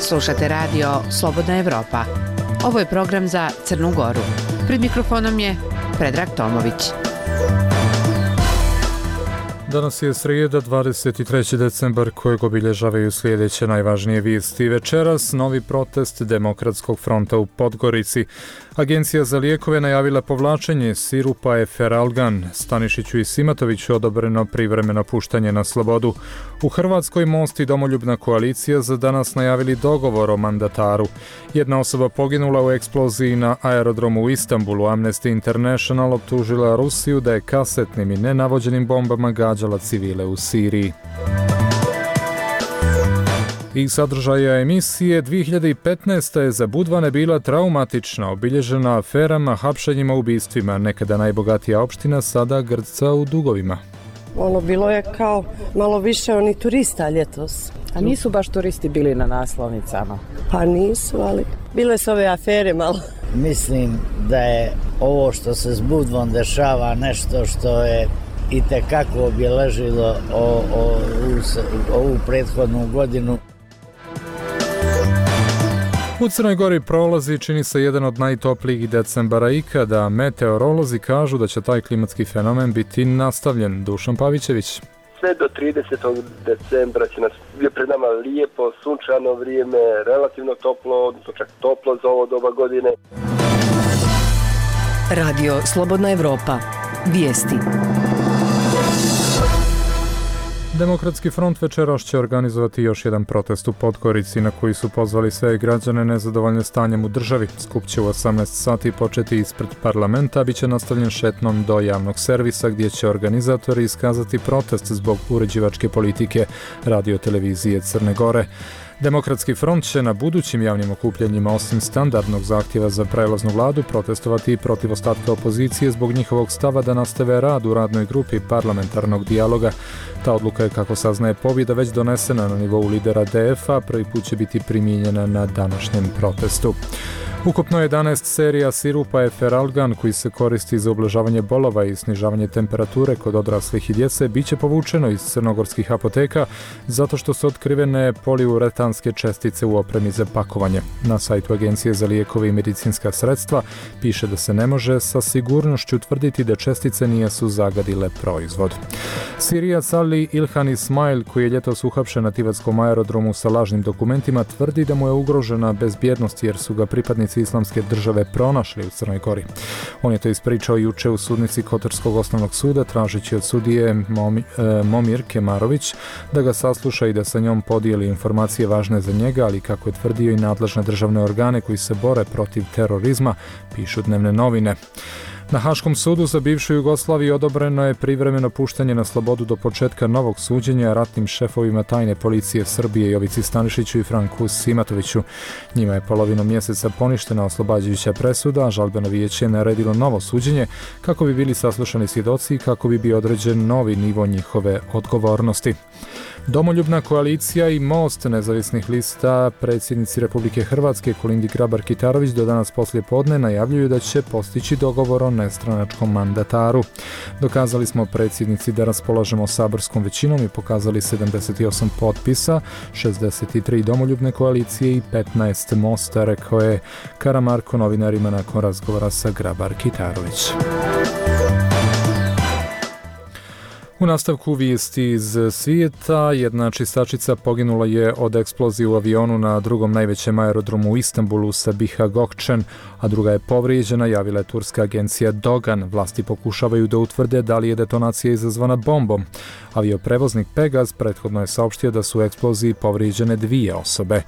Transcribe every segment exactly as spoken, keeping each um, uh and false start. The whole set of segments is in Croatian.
Slušate radio Slobodna Evropa. Ovo je program za Crnu Goru. Pred mikrofonom je Predrag Tomović. Danas je srijeda, dvadeset treći decembar, kojeg obilježavaju sljedeće najvažnije vijesti. Večeras novi protest Demokratskog fronta u Podgorici. Agencija za lijekove najavila povlačenje sirupa Efferalgan. Stanišiću i Simatoviću odobreno privremeno puštanje na slobodu. U Hrvatskoj Most i Domoljubna koalicija za danas najavili dogovor o mandataru. Jedna osoba poginula u eksploziji na aerodromu u Istanbulu. Amnesty International optužila Rusiju da je kasetnim i nenavođenim bombama gađala civile u Siriji. I sadržaja emisije dvije hiljade petnaeste. je za Budvane bila traumatična, obilježena aferama, hapšenjima, ubistvima. Nekada najbogatija opština sada grca u dugovima. Ono, bilo je kao malo više oni turista ljetos. A nisu baš turisti bili na naslovnicama? Pa nisu, ali bile su ove afere malo. Mislim da je ovo što se s Budvom dešava nešto što je itekako obeležilo o, o, u, ovu prethodnu godinu. U Crnoj Gori prolazi, čini se, jedan od najtoplijih decembara ikada. Meteorolozi kažu da će taj klimatski fenomen biti nastavljen. Dušan Pavićević. Sve do tridesetog decembra će nas je pred nama lijepo, sunčano vrijeme, relativno toplo, odnosno čak toplo za ovo doba godine. Radio Slobodna Evropa. Vijesti. Demokratski front večeras će organizovati još jedan protest u Podgorici na koji su pozvali sve građane nezadovoljne stanjem u državi. Skup će u osamnaest sati početi ispred parlamenta, a bit će nastavljen šetnom do javnog servisa gdje će organizatori iskazati protest zbog uređivačke politike radiotelevizije Crne Gore. Demokratski front će na budućim javnim okupljanjima osim standardnog zahtjeva za prelaznu vladu protestovati i protiv ostatka opozicije zbog njihovog stava da nastave rad u radnoj grupi parlamentarnog dijaloga. Ta odluka je, kako saznaje Pobjeda, već donesena na nivou lidera D F A, prvi put će biti primijenjena na današnjem protestu. Ukupno jedanaest serija sirupa Efferalgan koji se koristi za ublažavanje bolova i snižavanje temperature kod odraslih i djece bit će povučeno iz crnogorskih apoteka zato što su otkrivene poliuretanske čestice u opremi za pakovanje. Na sajtu Agencije za lijekove i medicinska sredstva piše da se ne može sa sigurnošću tvrditi da čestice nisu zagadile proizvod. Sirijac Ali Ilhan Ismail, koji je ljetos uhapšen na tivatskom aerodromu sa lažnim dokumentima, tvrdi da mu je ugrožena bezbjednost jer su ga pripadnici Islamske države pronašli u Crnoj Gori. On je to ispričao juče u sudnici Kotorskog osnovnog suda, tražeći od sudije Momi, e, Momir Kemarović da ga sasluša i da sa njom podijeli informacije važne za njega, ali kako je tvrdio i nadležne državne organe koji se bore protiv terorizma, pišu dnevne novine. Na Haškom sudu za bivšu Jugoslaviju odobreno je privremeno puštanje na slobodu do početka novog suđenja ratnim šefovima tajne policije Srbije Jovici Stanišiću i Franku Simatoviću. Njima je polovinom mjeseca poništena oslobađajuća presuda, a žalbeno vijeće je naredilo novo suđenje kako bi bili saslušani svjedoci i kako bi bio određen novi nivo njihove odgovornosti. Domoljubna koalicija i Most nezavisnih lista predsjednici Republike Hrvatske Kolindi Grabar-Kitarović do danas poslije podne najavljuju da će postići dogovor o nestranačkom mandataru. Dokazali smo predsjednici da raspolažemo saborskom većinom i pokazali sedamdeset osam potpisa, šezdeset tri Domoljubne koalicije i petnaest Mosta, rekao je Karamarko novinarima nakon razgovora sa Grabar-Kitarović. U nastavku vijesti iz svijeta, jedna čistačica poginula je od eksplozije u avionu na drugom najvećem aerodromu u Istanbulu Sabiha Gökçen, a druga je povrijeđena, javila je turska agencija Dogan. Vlasti pokušavaju da utvrde da li je detonacija izazvana bombom. Avioprevoznik Pegaz prethodno je saopštio da su u eksploziji povrijeđene dvije osobe.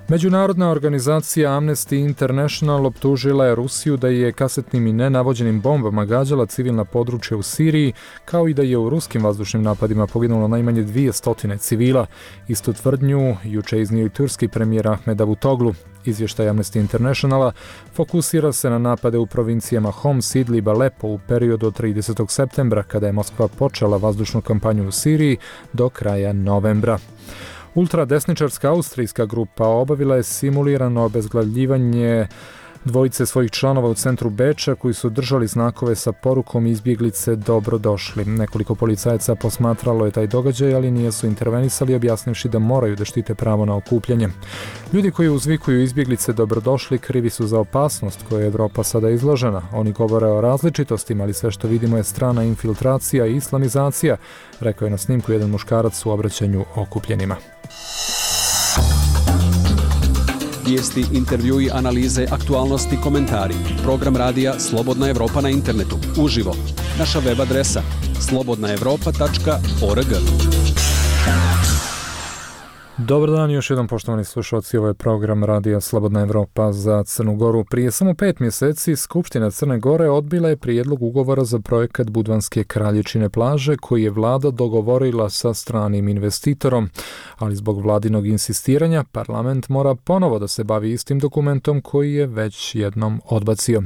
Međunarodna organizacija Amnesty International optužila je Rusiju da je kasetnim i nenavođenim bombama gađala civilna područja u Siriji, kao i da je u ruskim vazdušnim napadima poginulo najmanje dvije stotine civila. Istu tvrdnju juče iznio i turski premijer Ahmed Davutoglu. Izvještaj Amnesty Internationala fokusira se na napade u provincijama Homs, Idlib, Alepo u periodu od tridesetog septembra, kada je Moskva počela vazdušnu kampanju u Siriji, do kraja novembra. Ultradesničarska austrijska grupa obavila je simulirano obezglavljivanje dvojice svojih članova u centru Beča koji su držali znakove sa porukom izbjeglice dobrodošli. Nekoliko policajaca posmatralo je taj događaj, ali nisu intervenisali, objasnivši da moraju da štite pravo na okupljanje. Ljudi koji uzvikuju izbjeglice dobrodošli krivi su za opasnost koje je Evropa sada izložena. Oni govore o različitostima, ali sve što vidimo je strana infiltracija i islamizacija, rekao je na snimku jedan muškarac u obraćanju okupljenima. Vijesti, intervjui, analize, aktualnosti, komentari. Program radija Slobodna Evropa na internetu. Uživo. Naša web adresa slobodna evropa tačka org. Dobar dan, još jedan poštovani slušalci, ovo je program radija Slobodna Evropa za Crnu Goru. Prije samo pet mjeseci Skupština Crne Gore odbila je prijedlog ugovora za projekat Budvanske Kraljičine plaže koji je vlada dogovorila sa stranim investitorom, ali zbog vladinog insistiranja parlament mora ponovo da se bavi istim dokumentom koji je već jednom odbacio.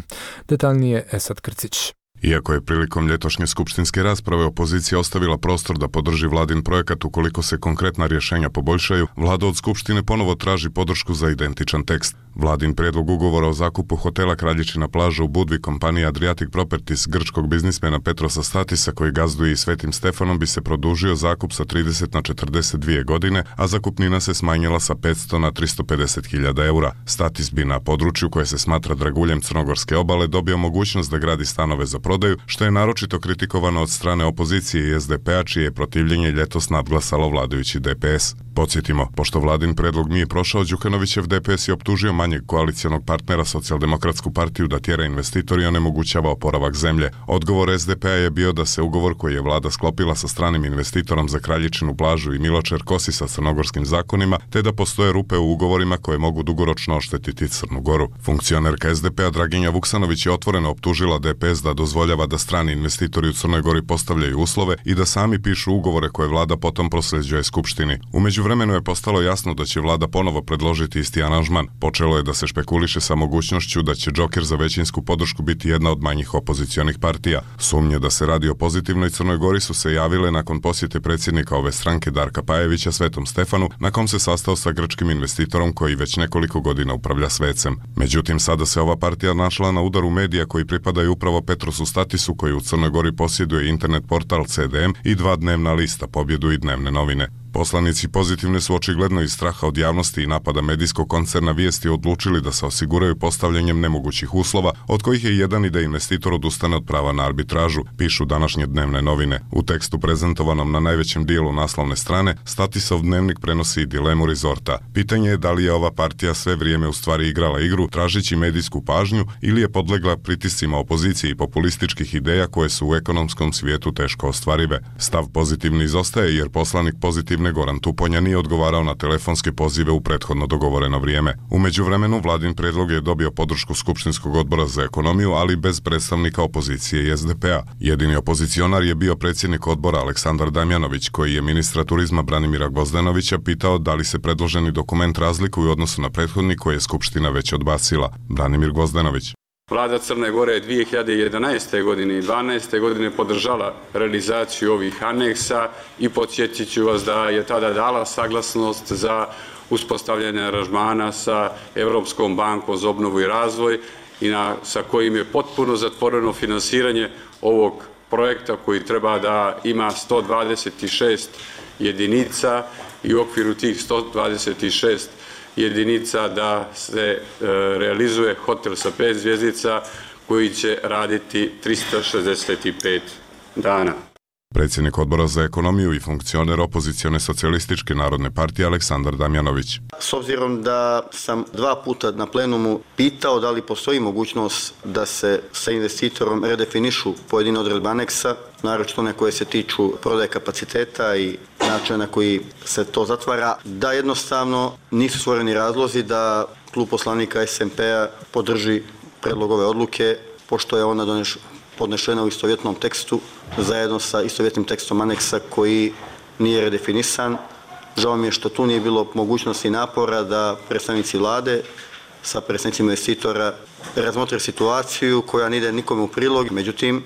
Detaljnije Esad Krcić. Iako je prilikom ljetošnje skupštinske rasprave opozicija ostavila prostor da podrži vladin projekat ukoliko se konkretna rješenja poboljšaju, vlada od skupštine ponovo traži podršku za identičan tekst. Vladin prijedlog ugovora o zakupu hotela Kraljičina plaža u Budvi kompanije Adriatic Properties grčkog biznismena Petrosa Statisa koji gazduje i Svetim Stefanom bi se produžio zakup sa trideset na četrdeset dvije godine, a zakupnina se smanjila sa petsto na tristo pedeset hiljada eura. Statis bi na području koje se smatra draguljem Crnogorske obale dobio mogućnost da gradi stanove za prodaju, što je naročito kritikovano od strane opozicije i es de pe a, čije je protivljenje ljetos nadglasalo vladajući de pe es. Podsjetimo, pošto vladin predlog nije prošao, Đukanovićev de pe es je optužio manjeg koalicijonog partnera Socijaldemokratsku partiju da tjera investitor i onemogućava oporavak zemlje. Odgovor es de pe a je bio da se ugovor koji je vlada sklopila sa stranim investitorom za Kraljičinu plažu i Miločer kosi sa crnogorskim zakonima, te da postoje rupe u ugovorima koje mogu dugoročno oštetiti Crnu Goru. Funkcionerka es de pe a Draginja Vuksanović je otvoreno optužila de pe es da dozvoljava da strani investitori u Crnoj Gori postavljaju uslove i da sami pišu ugovore koje vlada potom prosljeđuje skupštini. U međuvremenu je postalo jasno da će vlada ponovo predložiti isti aranžman. Počelo je da se špekuliše sa mogućnošću da će džoker za većinsku podršku biti jedna od manjih opozicionih partija. Sumnje da se radi o pozitivnoj Crnoj Gori su se javile nakon posjete predsjednika ove stranke Darka Pajevića Svetom Stefanu, na kom se sastao sa grčkim investitorom koji već nekoliko godina upravlja Svecem. Međutim, sada se ova partija našla na udaru medija koji pripadaju upravo Petrosu Statisu koji u Crnoj Gori posjeduje internet portal ce de em i dva dnevna lista, Pobjedu i Dnevne novine. Poslanici Pozitivne su očigledno iz straha od javnosti i napada medijskog koncerna Vijesti odlučili da se osiguraju postavljanjem nemogućih uslova, od kojih je jedan i da investitor odustane od prava na arbitražu, pišu današnje Dnevne novine. U tekstu prezentovanom na najvećem dijelu naslovne strane, Statisov dnevnik prenosi dilemu Rizorta. Pitanje je da li je ova partija sve vrijeme u stvari igrala igru, tražeći medijsku pažnju, ili je podlegla pritiscima opozicije i populističkih ideja koje su u ekonomskom svijetu teško ostvarive. Stav Pozitivni izostaje jer poslanik Pozitivni Goran Tuponja nije odgovarao na telefonske pozive u prethodno dogovoreno vrijeme. U međuvremenu vladin prijedlog je dobio podršku Skupštinskog odbora za ekonomiju, ali bez predstavnika opozicije i es de pe a. Jedini opozicionar je bio predsjednik odbora Aleksandar Damjanović, koji je ministra turizma Branimira Gvozdenovića pitao da li se predloženi dokument razlikuje u odnosu na prethodni koji je Skupština već odbacila. Branimir Gvozdenović. Vlada Crne Gore je dvije hiljade jedanaeste. godine i dvanaeste. godine podržala realizaciju ovih aneksa i podsjetit ću vas da je tada dala saglasnost za uspostavljanje aranžmana sa Europskom bankom za obnovu i razvoj i na, sa kojim je potpuno zatvoreno finansiranje ovog projekta koji treba da ima sto dvadeset šest jedinica i u okviru tih sto dvadeset šest jedinica da se e, realizuje hotel sa pet zvjezdica koji će raditi tristo šezdeset pet dana. Predsjednik odbora za ekonomiju i funkcioner opozicione socijalističke narodne partije Aleksandar Damjanović. S obzirom da sam dva puta na plenumu pitao da li postoji mogućnost da se sa investitorom redefinišu pojedine odredbe aneksa, naročito one koje se tiču prodaje kapaciteta i načina na koji se to zatvara, da jednostavno nisu stvoreni razlozi da klub poslanika es en pe a podrži predlog ove odluke, pošto je ona doneš, podnešena u istovjetnom tekstu zajedno sa istovjetnim tekstom aneksa koji nije redefinisan. Žao mi je što tu nije bilo mogućnosti i napora da predstavnici vlade sa predstavnicima investitora razmotre situaciju koja ne ide nikome u prilog. Međutim,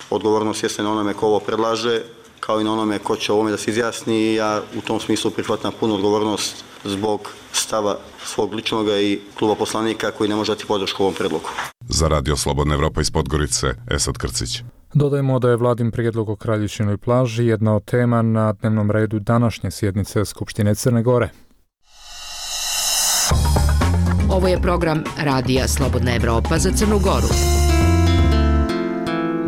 odgovornost jeste na onome ko ovo predlaže, kao i na onome ko će o ovome da se izjasni i ja u tom smislu prihvatam punu odgovornost zbog stava svog ličnog i kluba poslanika koji ne može dati podršku ovom predlogu. Za Radio Slobodna Evropa iz Podgorice, Esad Krcić. Dodajemo da je vladin prijedlog o Kraljičinoj plaži jedna od tema na dnevnom redu današnje sjednice Skupštine Crne Gore. Ovo je program Radija Slobodna Evropa za Crnu Goru.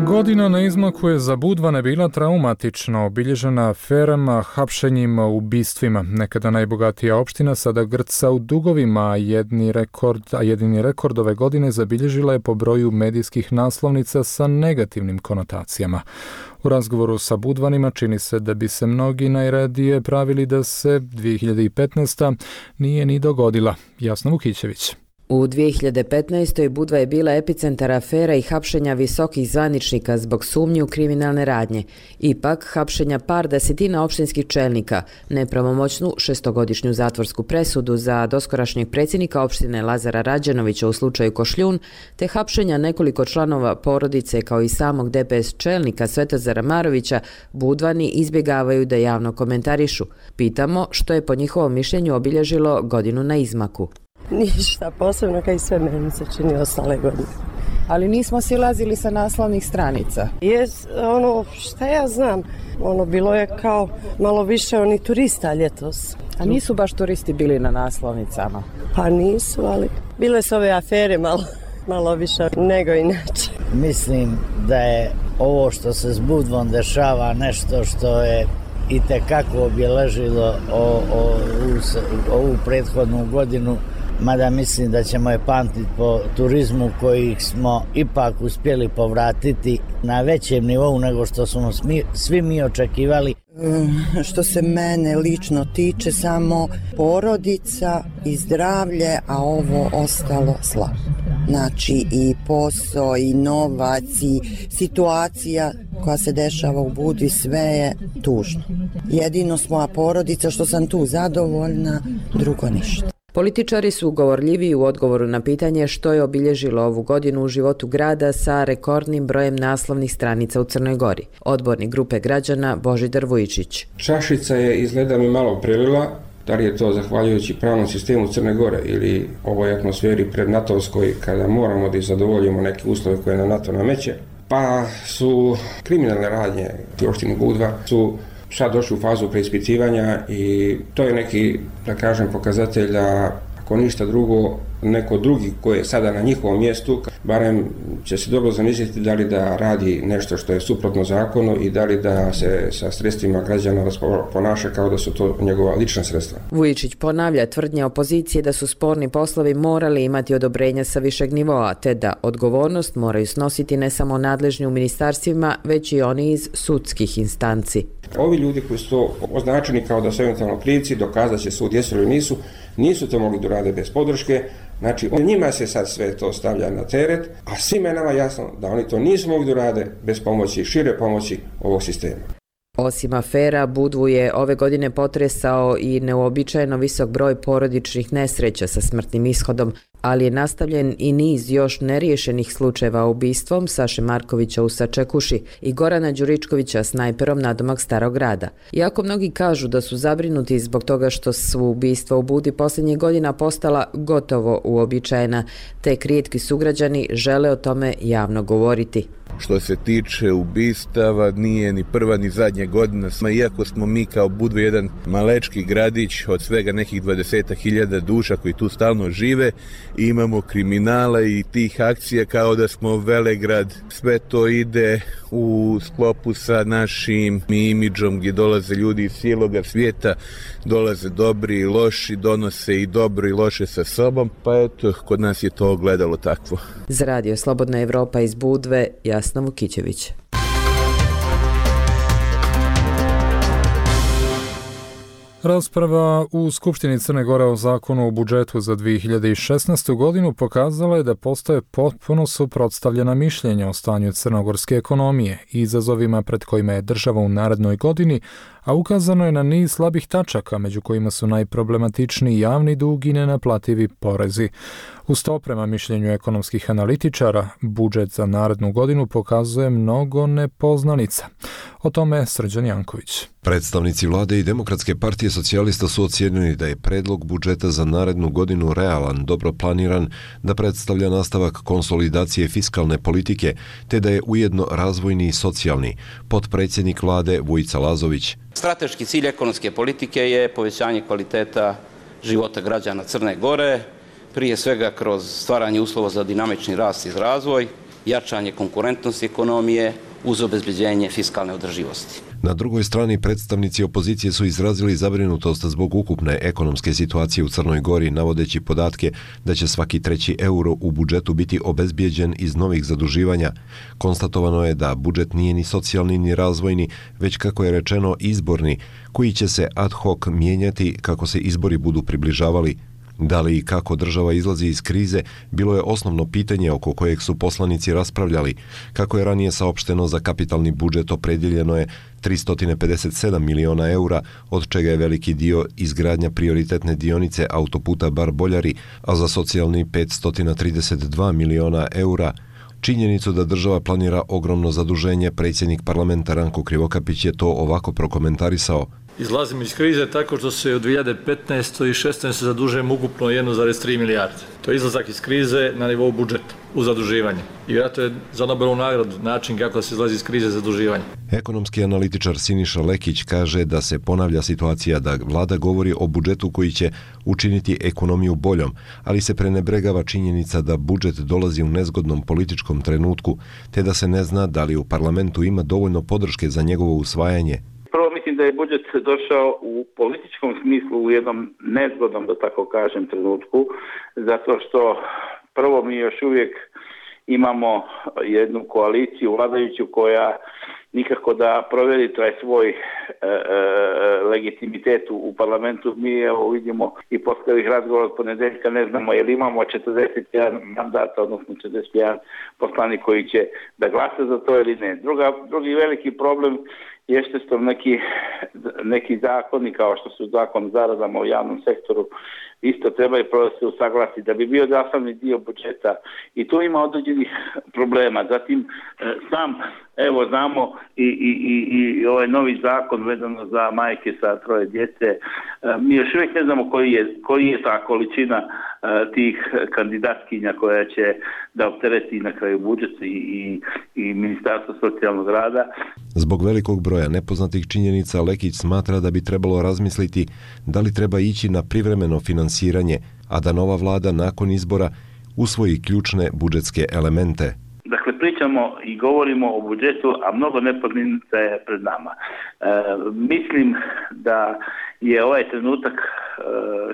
Godina na izmaku je za Budvane bila traumatična, obilježena aferama, hapšenjima, ubistvima. Nekada najbogatija opština sada grca u dugovima, a jedni rekord, a jedini rekord ove godine zabilježila je po broju medijskih naslovnica sa negativnim konotacijama. U razgovoru sa Budvanima čini se da bi se mnogi najradije pravili da se dvije hiljade petnaesta. nije ni dogodila. Jasna Vukićević. U dvije hiljade petnaestoj. Budva je bila epicentar afera i hapšenja visokih zvaničnika zbog sumnji u kriminalne radnje. Ipak, hapšenja par desetina opštinskih čelnika, nepravomoćnu šestogodišnju zatvorsku presudu za doskorašnjeg predsjednika opštine Lazara Rađenovića u slučaju Košljun, te hapšenja nekoliko članova porodice kao i samog D P S čelnika Svetozara Marovića, Budvani izbjegavaju da javno komentarišu. Pitamo što je po njihovom mišljenju obilježilo godinu na izmaku. Ništa posebno, kao i sve meni se čini ostale godine. Ali nismo silazili sa naslovnih stranica. Jes, ono, šta ja znam, ono, bilo je kao malo više oni turista ljetos. A nisu baš turisti bili na naslovnicama? Pa nisu, ali bile su ove afere malo, malo više nego inače. Mislim da je ovo što se s Budvom dešava nešto što je itekako obeležilo o, o, o, ovu prethodnu godinu, mada mislim da ćemo je pamtiti po turizmu koji smo ipak uspjeli povratiti na većem nivou nego što smo smi, svi mi očekivali. Što se mene lično tiče, samo porodica i zdravlje, a ovo ostalo slabo. Znači i posao, i novac, i situacija koja se dešava u Budvi, sve je tužno. Jedino smo, a porodica, što sam tu zadovoljna, drugo ništa. Političari su govorljivi u odgovoru na pitanje što je obilježilo ovu godinu u životu grada sa rekordnim brojem naslovnih stranica u Crnoj Gori. Odbornik grupe građana Božidar Vujičić. Čašica je izgleda mi malo prelila, da li je to zahvaljujući pravnom sistemu Crne Gore ili ovoj atmosferi prednatovskoj kada moramo da zadovoljimo neke uslove koje nam NATO nameće, pa su kriminalne radnje u opštini Budva su sad došli u fazu preispitivanja i to je neki, da kažem, pokazatelj da ako ništa drugo, neko drugi koji je sada na njihovom mjestu, barem će se dobro zamisliti da li da radi nešto što je suprotno zakonu i da li da se sa sredstvima građana ponaša kao da su to njegova lična sredstva. Vujičić ponavlja tvrdnje opozicije da su sporni poslovi morali imati odobrenja sa višeg nivoa, te da odgovornost moraju snositi ne samo nadležni u ministarstvima, već i oni iz sudskih instanci. Ovi ljudi koji su to označeni kao da su eventualno krivci, dokazat će sud jesu ili nisu, nisu to mogli da rade bez podrške. Znači, njima se sad sve to stavlja na teret, a svima je nama jasno da oni to nisu mogli da rade bez pomoći, šire pomoći ovog sistema. Osim afera, Budvu je ove godine potresao i neuobičajeno visok broj porodičnih nesreća sa smrtnim ishodom, ali je nastavljen i niz još neriješenih slučajeva ubistvom Saše Markovića u Sačekuši i Gorana Đuričkovića snajperom nadomak Starog grada. Iako mnogi kažu da su zabrinuti zbog toga što su ubistva u Budvi posljednjih godina postala gotovo uobičajena, te rijetki sugrađani žele o tome javno govoriti. Što se tiče ubistava, nije ni prva ni zadnja godina, iako smo mi kao Budva jedan malečki gradić od svega nekih dvadeset hiljada duša koji tu stalno žive, imamo kriminala i tih akcija kao da smo velegrad. Sve to ide u sklopu sa našim imidžom gdje dolaze ljudi iz cijeloga svijeta, dolaze dobri i loši, donose i dobro i loše sa sobom, pa eto, kod nas je to ogledalo takvo. Za Radio Slobodna Evropa iz Budve, Jasna Vukićević. Rasprava u Skupštini Crne Gore o zakonu o budžetu za dvije hiljade šesnaestu. godinu pokazala je da postoje potpuno suprotstavljena mišljenja o stanju crnogorske ekonomije i izazovima pred kojima je država u narednoj godini, a ukazano je na niz slabih tačaka, među kojima su najproblematičniji javni dug i nenaplativi porezi. Uz to, prema mišljenju ekonomskih analitičara, budžet za narednu godinu pokazuje mnogo nepoznanica. O tome Srđan Janković. Predstavnici vlade i Demokratske partije socijalista su ocijenili da je predlog budžeta za narednu godinu realan, dobro planiran, da predstavlja nastavak konsolidacije fiskalne politike, te da je ujedno razvojni i socijalni. Potpredsjednik vlade Vujica Lazović. Strateški cilj ekonomske politike je povećanje kvaliteta života građana Crne Gore, prije svega kroz stvaranje uslova za dinamični rast i razvoj, jačanje konkurentnosti ekonomije uz obezbeđenje fiskalne održivosti. Na drugoj strani predstavnici opozicije su izrazili zabrinutost zbog ukupne ekonomske situacije u Crnoj Gori, navodeći podatke da će svaki treći euro u budžetu biti obezbijeđen iz novih zaduživanja. Konstatovano je da budžet nije ni socijalni ni razvojni, već kako je rečeno izborni, koji će se ad hoc mijenjati kako se izbori budu približavali. Da li i kako država izlazi iz krize, bilo je osnovno pitanje oko kojeg su poslanici raspravljali. Kako je ranije saopšteno, za kapitalni budžet opredjeljeno je tristo pedeset sedam miliona eura, od čega je veliki dio izgradnja prioritetne dionice autoputa Bar-Boljari, a za socijalni petsto trideset dva miliona eura. Činjenicu da država planira ogromno zaduženje, predsjednik parlamenta Ranko Krivokapić je to ovako prokomentarisao. Izlazimo iz krize tako što se od dvije hiljade petnaeste. i šesnaeste. zadužujemo ukupno jedan zarez tri milijarde. To je izlazak iz krize na nivou budžeta u zaduživanje. I vjerojatno je za Nobelovu nagradu način kako se izlazi iz krize zaduživanja. Ekonomski analitičar Siniša Lekić kaže da se ponavlja situacija da vlada govori o budžetu koji će učiniti ekonomiju boljom, ali se prenebregava činjenica da budžet dolazi u nezgodnom političkom trenutku, te da se ne zna da li u parlamentu ima dovoljno podrške za njegovo usvajanje. Prvo mislim da je budžet došao u političkom smislu u jednom nezgodnom, da tako kažem, trenutku, zato što prvo mi još uvijek imamo jednu koaliciju vladajuću koja nikako da provjeri taj svoj e, e, legitimitet u parlamentu. Mi evo vidimo i posle ovih razgovora od ponedeljka ne znamo je li imamo četrdeset jedan mandata, odnosno četrdeset jedan poslanik koji će da glasa za to ili ne. Druga, drugi veliki problem jeste što neki, neki zakoni kao što su zakon o zaradama u javnom sektoru isto trebaju prvo se usaglasiti da bi bio sastavni dio budžeta i tu ima određenih problema. Zatim sam, evo znamo i, i, i, i ovaj novi zakon vezano za majke sa troje djece, mi još uvijek ne znamo koji je, koji je ta količina tih kandidatkinja koja će da optereti na kraju budžet i, i, i Ministarstvo socijalnog rada. Zbog velikog broja nepoznatih činjenica Lekić smatra da bi trebalo razmisliti da li treba ići na privremeno finansiranje, a da nova vlada nakon izbora usvoji ključne budžetske elemente. Dakle, pričamo i govorimo o budžetu, a mnogo nepoznanica je pred nama. E, mislim da je ovaj trenutak e,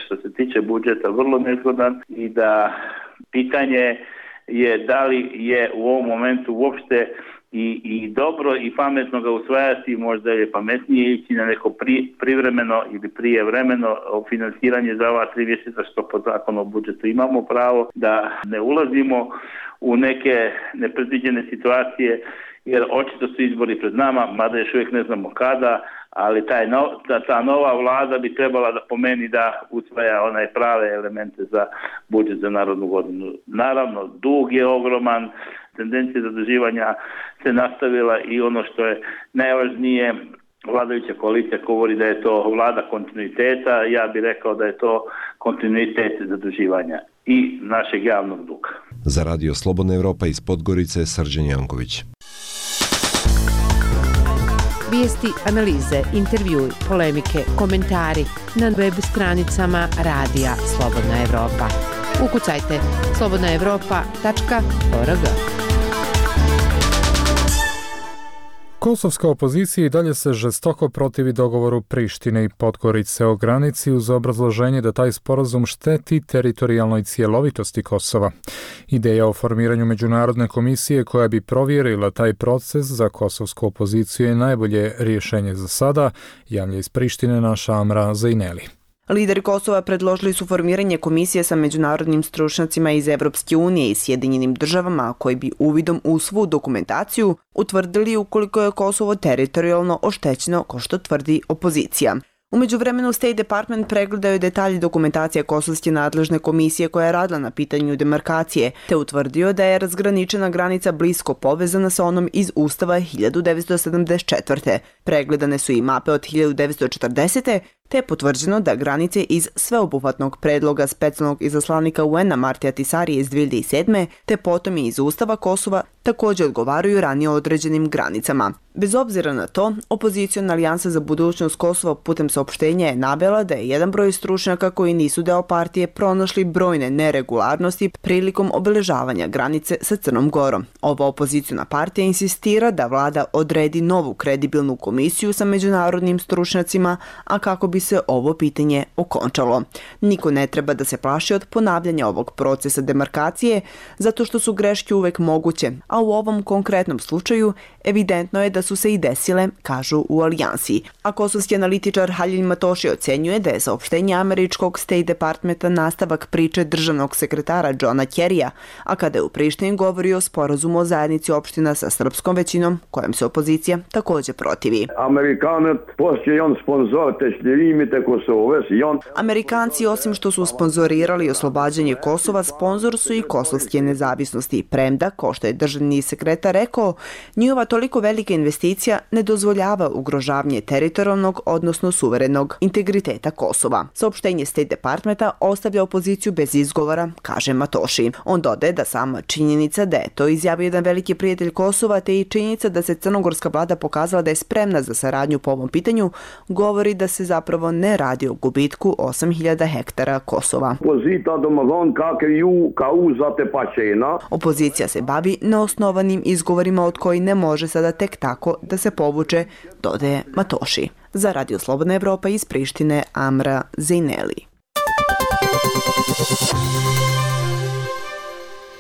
što se tiče budžeta vrlo nezgodan i da pitanje je da li je u ovom momentu uopšte i, i dobro i pametno ga usvajati, možda je pametnije ići na neko pri, privremeno ili prijevremeno finansiranje za ova tri mjeseca što po zakonu o budžetu imamo pravo, da ne ulazimo u neke nepredviđene situacije, jer očito su izbori pred nama, mada još uvijek ne znamo kada, ali taj no, ta, ta nova vlada bi trebala da pomeni da usvaja onaj prave elemente za budžet za narodnu godinu. Naravno, dug je ogroman, tendencija zaduživanja se nastavila i ono što je najvažnije, vladajuća koalicija govori da je to vlada kontinuiteta, ja bih rekao da je to kontinuitet zaduživanja i našeg javnog duga. Za Radio Slobodna Evropa iz Podgorice, Srđan Janković. Vijesti, analize, intervjui, polemike, komentari na web stranicama Radija Slobodna Evropa. Ukucajte slobodna evropa tačka org. Kosovska opozicija i dalje se žestoko protivi dogovoru Prištine i Podgorice o granici uz obrazloženje da taj sporazum šteti teritorijalnoj cjelovitosti Kosova. Ideja o formiranju međunarodne komisije koja bi provjerila taj proces za kosovsku opoziciju je najbolje rješenje za sada, javlja iz Prištine naša Amra Zajneli. Lideri Kosova predložili su formiranje komisije sa međunarodnim stručnjacima iz Evropske unije i Sjedinjenim državama koji bi uvidom u svu dokumentaciju utvrdili ukoliko je Kosovo teritorijalno oštećeno, kao što tvrdi opozicija. U međuvremenu State Department pregledao je detalji dokumentacije kosovske nadležne komisije koja je radila na pitanju demarkacije, te utvrdio da je razgraničena granica blisko povezana sa onom iz Ustava hiljadu devetsto sedamdeset četvrte. Pregledane su i mape od hiljadu devetsto četrdesete te je potvrđeno da granice iz sveobuhvatnog predloga specijalnog izaslanika U N-a Martija Tisarije iz dvije hiljade sedme te potom i iz Ustava Kosova također odgovaraju ranije određenim granicama. Bez obzira na to, opoziciona alijansa za budućnost Kosova putem saopštenja je navela da je jedan broj stručnjaka koji nisu deo partije pronašli brojne neregularnosti prilikom obeležavanja granice sa Crnom Gorom. Ova opoziciona partija insistira da vlada odredi novu kredibilnu komisiju sa međunarodnim stručnjacima, a kako bi se ovo pitanje okončalo. Niko ne treba da se plaši od ponavljanja ovog procesa demarkacije, zato što su greške uvek moguće, a u ovom konkretnom slučaju evidentno je da su se i desile, kažu u alijansi. A kosovski analitičar Halil Matoši ocenjuje da je saopštenje američkog State Departmenta nastavak priče državnog sekretara Johna Kerrya, a kada je u Prištini govorio o sporazumu o zajednici opština sa srpskom većinom, kojem se opozicija također protivi. Amerikanci, osim što su sponzorirali oslobađanje Kosova, sponzor su i kosovske nezavisnosti, premda, kao što je državni sekretar rekao, njihova toliko velika investicija ne dozvoljava ugrožavanje teritorijalnog, odnosno suverenog integriteta Kosova. Saopštenje State Departmenta ostavlja opoziciju bez izgovora, kaže Matoši. On dodaje da sama činjenica da je to izjavio jedan veliki prijatelj Kosova, te i činjenica da se crnogorska vlada pokazala da je spremna za saradnju po ovom pitanju, govori da se zapravo ne radi o gubitku osam hiljada hektara Kosova. Opozicija se bavi neosnovanim izgovorima od koji ne može sada tek tako da se povuče, dodaje Matoši. Za Radio Slobodna Evropa iz Prištine, Amra Zejneli.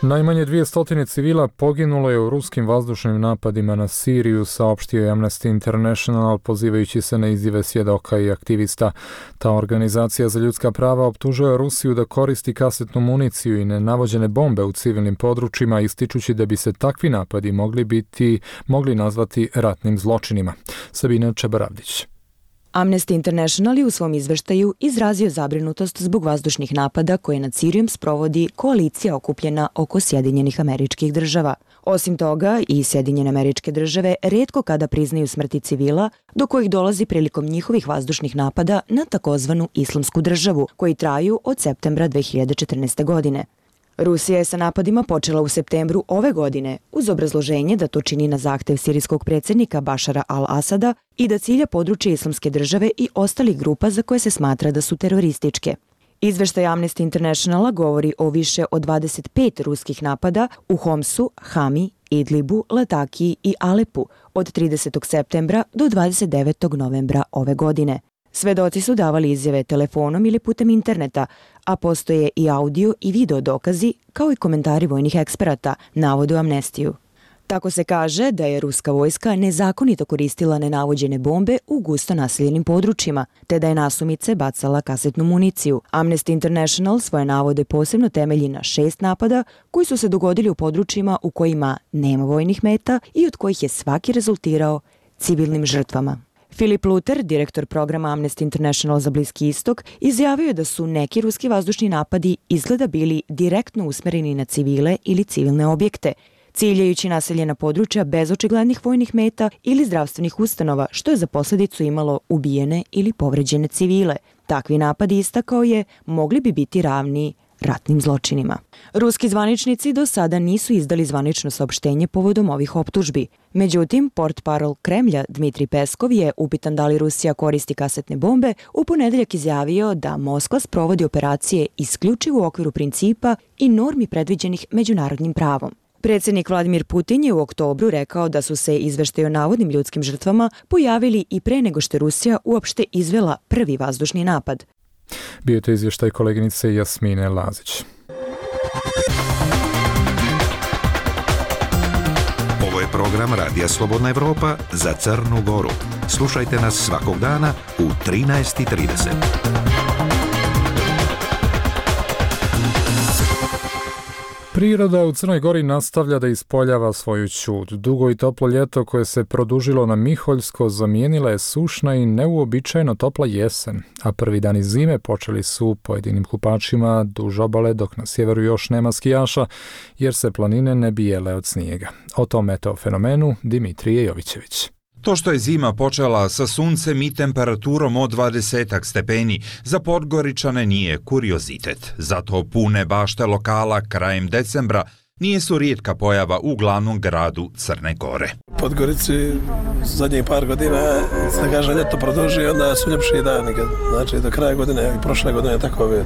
Najmanje dvjesto civila poginulo je u ruskim vazdušnim napadima na Siriju, saopštio je Amnesty International, pozivajući se na izjave svjedoka i aktivista. Ta organizacija za ljudska prava optužuje Rusiju da koristi kasetnu municiju i nenavođene bombe u civilnim područjima, ističući da bi se takvi napadi mogli biti, mogli nazvati ratnim zločinima. Sabina Čebaravdić. Amnesty International je u svom izveštaju izrazio zabrinutost zbog vazdušnih napada koje nad Sirijom sprovodi koalicija okupljena oko Sjedinjenih Američkih Država. Osim toga, i Sjedinjene Američke Države retko kada priznaju smrti civila, do kojih dolazi prilikom njihovih vazdušnih napada na takozvanu Islamsku državu, koji traju od septembra dve hiljade četrnaeste. godine. Rusija je sa napadima počela u septembru ove godine uz obrazloženje da to čini na zahtev sirijskog predsjednika Bašara al-Asada i da cilja područje Islamske države i ostalih grupa za koje se smatra da su terorističke. Izveštaj Amnesty Internationala govori o više od dvadeset pet ruskih napada u Homsu, Hami, Idlibu, Latakiji i Alepu od tridesetog septembra do dvadeset devetog novembra ove godine. Svedoci su davali izjave telefonom ili putem interneta, a postoje i audio i video dokazi, kao i komentari vojnih eksperata, navode u Amnestiju. Tako se kaže da je ruska vojska nezakonito koristila nenavođene bombe u gusto naseljenim područjima, te da je nasumice bacala kasetnu municiju. Amnesty International svoje navode posebno temelji na šest napada koji su se dogodili u područjima u kojima nema vojnih meta i od kojih je svaki rezultirao civilnim žrtvama. Filip Luter, direktor programa Amnesty International za Bliski istok, izjavio je da su neki ruski vazdušni napadi izgleda bili direktno usmereni na civile ili civilne objekte, ciljajući naseljena područja bez očiglednih vojnih meta ili zdravstvenih ustanova, što je za posljedicu imalo ubijene ili povređene civile. Takvi napadi, istakao je, mogli bi biti ravni ratnim zločinima. Ruski zvaničnici do sada nisu izdali zvanično saopštenje povodom ovih optužbi. Međutim, portparol Kremlja Dmitrij Peskov je, upitan da li Rusija koristi kasetne bombe, u ponedeljak izjavio da Moskva sprovodi operacije isključivo u okviru principa i normi predviđenih međunarodnim pravom. Predsjednik Vladimir Putin je u oktobru rekao da su se izveštaji o navodnim ljudskim žrtvama pojavili i pre nego što je Rusija uopšte izvela prvi vazdušni napad. Bio je to izvještaj koleginice Jasmine Lazić. Ovo je program Radija Slobodna Evropa za Crnu Goru. Slušajte nas svakog dana u trinaest i trideset. Priroda u Crnoj Gori nastavlja da ispoljava svoju ćud. Dugo i toplo ljeto koje se produžilo na Miholjsko zamijenila je sušna i neuobičajeno topla jesen, a prvi dani zime počeli su pojedinim kupačima duž obale, dok na sjeveru još nema skijaša, jer se planine ne bijele od snijega. O tom meteofenomenu Dimitrije Jovićević. To što je zima počela sa suncem i temperaturom od dvadeset stepeni, za Podgoričane nije kuriozitet. Zato pune bašte lokala krajem decembra nije su rijetka pojava u glavnom gradu Crne Gore. Podgorici zadnjih par godina se kaže ljeto produži, onda su ljepši dani. Znači do kraja godine i prošle godine tako bi.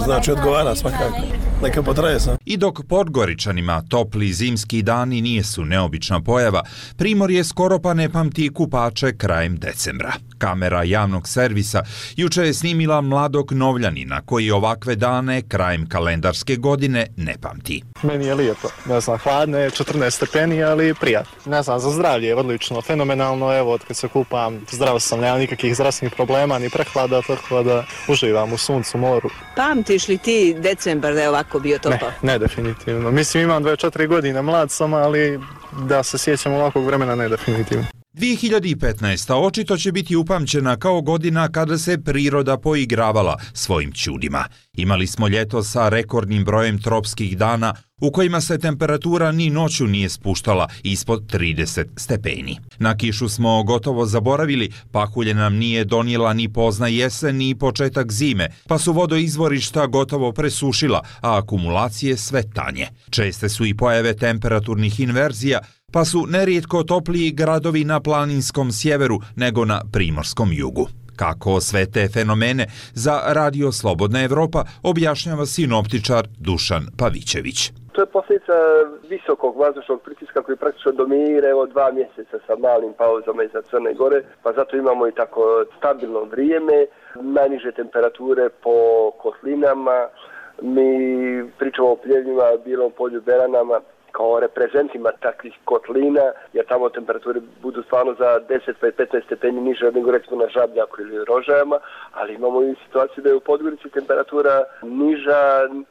Znači odgovara svakako. Neka potraje sam. I dok Podgoričanima topli zimski dani nije su neobična pojava, Primorje skoro pa ne pamti kupače krajem decembra. Kamera javnog servisa juče je snimila mladog Novljanina koji ovakve dane krajem kalendarske godine ne pamti. Meni je lijepo, ne znam, hladno je, četrnaest stepeni, ali prijatno. Ne znam, za zdravlje je odlično, fenomenalno, evo, od kad se kupam, zdrav sam, nema nikakvih zdravstvenih problema, ni prehlada, tako da uživam u suncu, moru. Pamtiš li ti decembar da je ovako bio topao? Ne, ne definitivno. Mislim, imam dvadeset četiri godine, mlad sam, ali da se sjećam ovakvog vremena, ne definitivno. dvije hiljade petnaesta. očito će biti upamćena kao godina kada se priroda poigravala svojim čudima. Imali smo ljeto sa rekordnim brojem tropskih dana u kojima se temperatura ni noću nije spuštala ispod trideset stepeni. Na kišu smo gotovo zaboravili, pahulje nam nije donijela ni pozna jesen ni početak zime, pa su vodoizvorišta gotovo presušila, a akumulacije sve tanje. Česte su i pojave temperaturnih inverzija, pa su nerijetko topliji gradovi na planinskom sjeveru nego na primorskom jugu. Kako sve te fenomene za Radio Slobodna Evropa objašnjava sinoptičar Dušan Pavićević. To je posljedica visokog vazdušnog pritiska koji praktično dominira evo dva mjeseca sa malim pauzama iza Crne Gore, pa zato imamo i tako stabilno vrijeme, najniže temperature po kotlinama, mi pričamo o Pljevljima, Bilom polju, Beranama, kao reprezentima takvih kotlina, jer tamo temperature budu stvarno za deset pa petnaest stepeni niže nego recimo na Žabljaku ili Rožajama, ali imamo i situaciju da je u Podgorici temperatura niža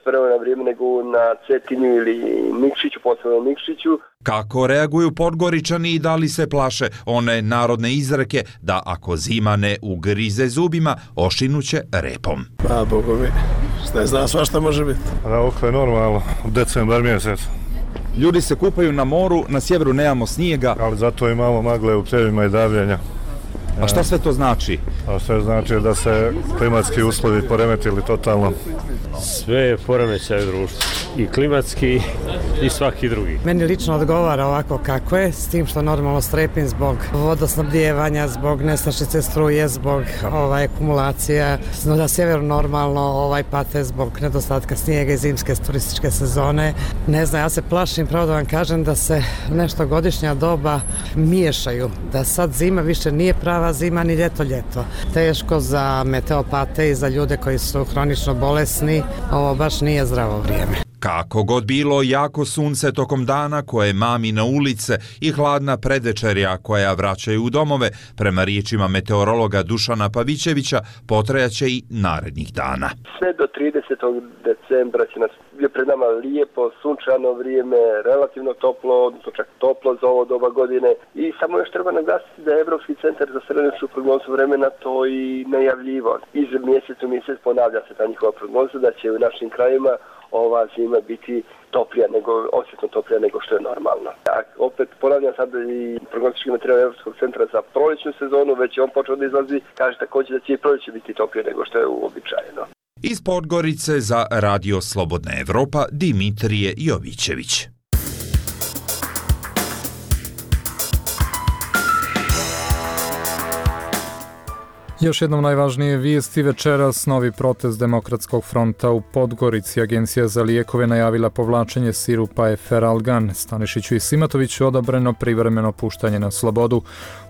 prvo na vrijeme nego na Cetinju ili Nikšiću, posebno Nikšiću. Kako reaguju Podgoričani i da li se plaše one narodne izreke da ako zima ne ugrize zubima, ošinuće repom? Pa, Bogu mi, šta je zna, svašta može biti. Ovo je normalno, u decembar mjesec. Ljudi se kupaju na moru, na sjeveru nemamo snijega. Ali zato imamo magle u Pljevljima i davljenja. A šta sve to znači? A sve znači da se klimatski uslovi poremetili totalno. Sve je poremećaj u društvu. I klimatski i svaki drugi. Meni lično odgovara ovako kako je, s tim što normalno strepim zbog vodosnabdijevanja, zbog nestašice struje, zbog ovaj, akumulacija. Na sjeveru normalno ovaj, pate zbog nedostatka snijega i zimske turističke sezone. Ne znam, ja se plašim, pravo da vam kažem, da se nešto godišnja doba miješaju. Da sad zima više nije prava zima ni ljeto ljeto. Teško za meteopate i za ljude koji su hronično bolesni. Ovo baš nije zdravo vrijeme. Kako god bilo, jako sunce tokom dana koje mami na ulice i hladna predvečerja koja vraćaju u domove, prema riječima meteorologa Dušana Pavićevića, potrajaće i narednih dana. Sve do tridesetog decembra će nas je pred nama lijepo, sunčano vrijeme, relativno toplo, odnosno čak toplo za ovo doba godine. I samo još treba naglasiti da je Evropski centar za srednjoročnu prognozu vremena to i najavljivao. Iz mjeseca u mjesec ponavlja se ta njihova prognoza da će u našim krajima ova zima biti toplija nego, osjetno toplija nego što je normalno. A opet ponavljam sad i prognostički materijal Europskog centra za proljećnu sezonu, već je on počeo da izlazi, kaže također da će i proljeće biti toplije nego što je uobičajeno. Iz Podgorice za Radio Slobodna Evropa Dimitrije Jovićević. Još jednom najvažnije vijesti večeras, novi protest Demokratskog fronta u Podgorici. Agencija za lijekove najavila povlačenje sirupa Eferalgan. Stanišiću i Simatoviću odobreno privremeno puštanje na slobodu.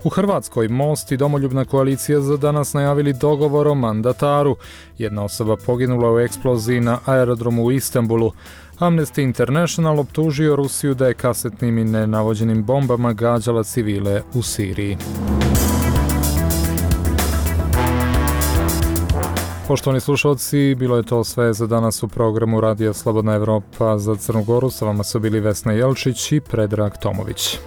U Hrvatskoj Most i Domoljubna koalicija za danas najavili dogovor o mandataru. Jedna osoba poginula u eksploziji na aerodromu u Istanbulu. Amnesty International optužio Rusiju da je kasetnim i nenavođenim bombama gađala civile u Siriji. Poštovani slušalci, bilo je to sve za danas u programu Radija Slobodna Evropa za Crnu Goru. Sa vama su bili Vesna Jelčić i Predrag Tomović.